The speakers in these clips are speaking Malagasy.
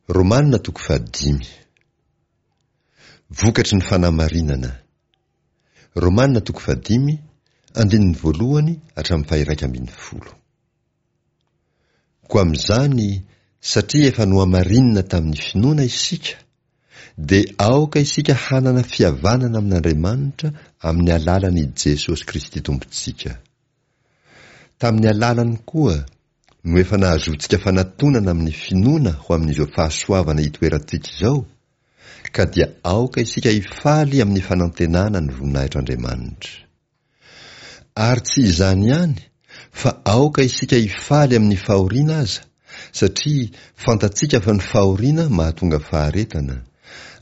Romana toko fahadimy. Vokatry ny fanamarinana. Romana toko fahadimy, andininy voalohany hatramin'ny faha-iraika ambin'ny folo. Koa amin'izany, satria efa nohamarinina tamin'ny finoana isika, dia aoka isika hanana fihavanana amin'Andriamanitra amin'ny alalan'i Jesosy Kristy Tompontsika. Tamin'ny alalany koa no efa nahazoantsika fanatonana amin'ny finoana ho amin'izao fahasoavana itoerantsika izao, ka dia aoka isika hifaly amin'ny fanantenana ny voninahitr'Andriamanitra. Ary tsy izany ihany, fa aoka isika hifaly amin'ny fahoriana aza, satria fantatsika fa ny fahoriana mahatonga faharetana,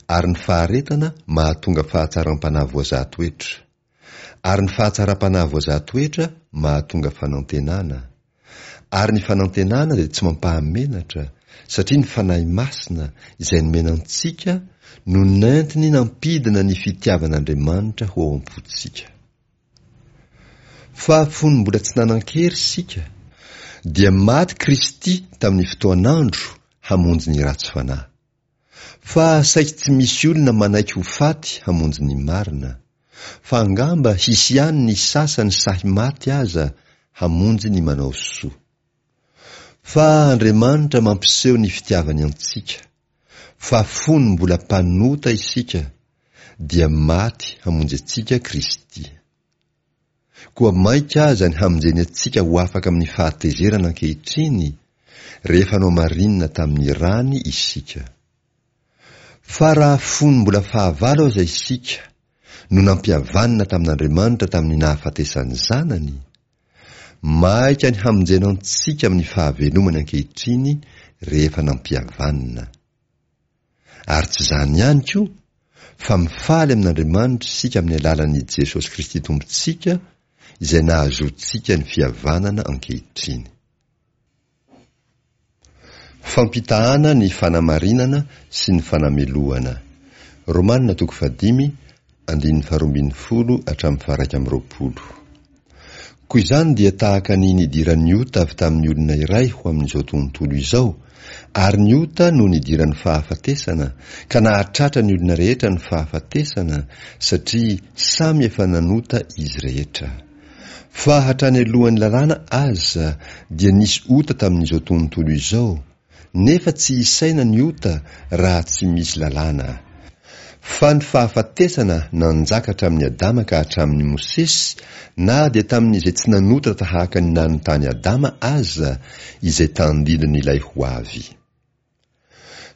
ary ny faharetana mahatonga fahatsaram-panahy voazaha toetra, ary ny fahatsaram-panahy voazaha toetra mahatonga fanantenana, ary ny fanantenana dia tsy mampahamenatra, satria ny Fanahy Masina, izay nomena antsika, no nentiny nampidina ny fitiavan'Andriamanitra ho ao am-pontsika. Fa fony mbola tsy nanan-kery isika, dia maty Kristy tamin'ny fotoan'andro hamonjy ny ratsy fanahy. Fa saiky tsy misy olona manaiky ho faty hamonjy ny marina. Fa angamba hisy ihany ny sasany sahy maty aza hamonjy ny manao soa. Fa Andriamanitra mampiseho ny fitiavany antsika, fa fony mbola mpanota isika, dia maty hamonjy antsika Kristy. Koa mainka aza ny hamonjeny antsika ho afaka amin'ny fahatezerana ankehitriny, rehefa nohamarinina tamin'ny rany isika. Fa raha fony mbola fahavalo aza isika no nampihavanina tamin'Andriamanitra tamin'ny nahafatesan'ny Zanany, maika ny hamonjena antsika amin'ny fahavelomany ankehitriny rehefa nampihavanina. Ary tsy izany ihany koa, fa mifaly amin'Andriamanitra isika amin'ny alalan'i Jesosy Kristy Tompontsika, izay nahazoantsika ny fihavanana ankehitriny. Fampitahana ny fanamarinana sy ny fanamelohana. Romana toko fahadimy, andininy faharoa ambin'ny folo hatramin'ny faha-iraika amby roapolo. Koa izany dia tahaka ny nidiran'ny ota avy tamin'ny olona iray ho amin'izao tontolo izao, ary ny ota no nidiran'ny fahafatesana, ka nahatratra ny olona rehetra ny fahafatesana, satria samy efa nanota izy rehetra. Fa hatrany alohan'ny lalàna aza dia nisy ota tamin'izao tontolo izao, Nefa tsy isaina ny ota raha tsy misy lalàna. Fa ny fahafatesana nanjaka hatramin'i Adama ka hatramin'i Mosesy, na dia tamin'izay tsy nanota tahaka ny nanotan'i Adama aza, izay tandindon'ilay ho avy.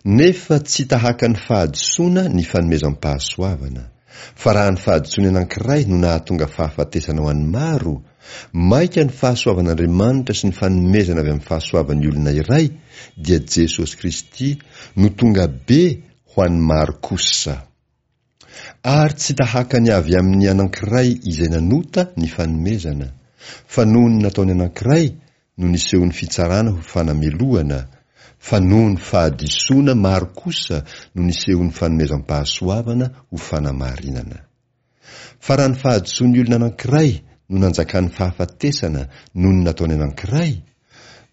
Nefa tsy tahaka ny fahadisoana ny fanomezam-pahasoavana. Fa raha ny fahadisoan'ny anankiray no nahatonga fahafatesana ho an'ny maro, mainka ny fahasoavan'Andriamanitra sy ny fanomezana avy amin'ny fahasoavan'ny olona iray, dia Jesosy Kristy, no tonga be ho an'ny maro kosa. Ary tsy tahaka ny avy amin'ny anankiray izay nanota ny fanomezana, fa noho ny nataon'ny anankiray no nisehoan'ny fitsarana ho fanamelohana, fa noho ny fahadisoana maro kosa no nisehoan'ny fanomezam-pahasoavana ho fanamarinana. Fa raha ny fahadisoan'ny olona anankiray no nanjakan'ny fahafatesana noho ny nataony anankiray,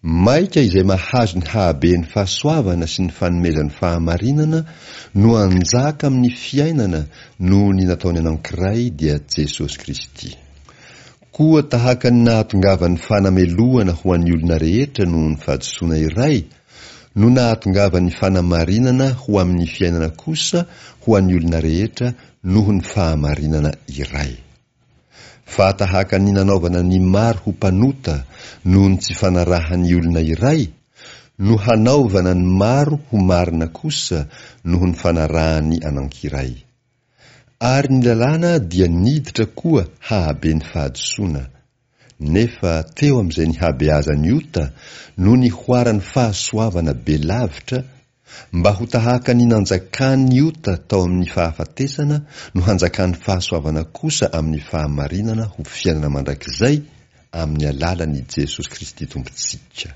Maika izay mahazo ny hahaben'ny fahasoavana sy ny fanomezan'ny fahamarinana no hanjaka amin'ny fiainana noho ny nataony anankiray dia Jesosy Kristy. Koa tahaka ny nahatongavan'ny fanamelohana ho an'ny olona rehetra noho ny fahadisoana iray no nahatongavan'ny fanamarinana ho amin'ny fiainana kosa ho an'ny olona rehetra noho ny fahamarinana iray. Fa tahaka ny nanaovana ny maro ho mpanota noho ny tsy fanarahan'ny olona iray, no hanaovana ny maro ho marina kosa noho ny fanarahan'ny anankiray. Ary ny lalàna dia niditra koa hahabe ny fahadisoana. Nefa teo amin'izay nihabeazan'ny ota no nihoaran'ny fahasoavana be lavitra, Mba ho tahaka ny nanjakan'ny ota tao amin'ny fahafatesana no hanjakan'ny fahasoavana kosa amin'ny fahamarinana ho fiainana mandrakizay amin'ny alalan'i Jesosy Kristy Tompontsika.